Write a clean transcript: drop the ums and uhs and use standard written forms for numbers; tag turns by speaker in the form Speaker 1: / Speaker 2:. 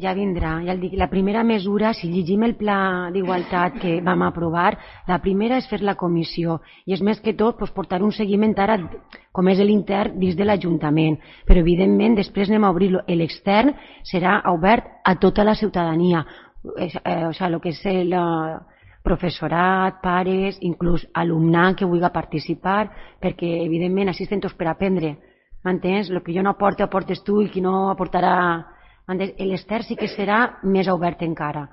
Speaker 1: Ja vindrà, ja el dic. La primera mesura, si llegim el pla d'igualtat que vam aprovar, la primera és fer la comissió i és més que tot portar un seguiment ara, com és l'intern dins de l'Ajuntament, però evidentment després anem a obrir-lo. L'extern serà obert a tota la ciutadania, el que és el professorat, pares, inclús alumnat que vulgui participar, perquè evidentment així estem tots per aprendre, m'entens? El que jo no aporto aportes tu i qui no aportarà. L'extern sí que serà més obert encara,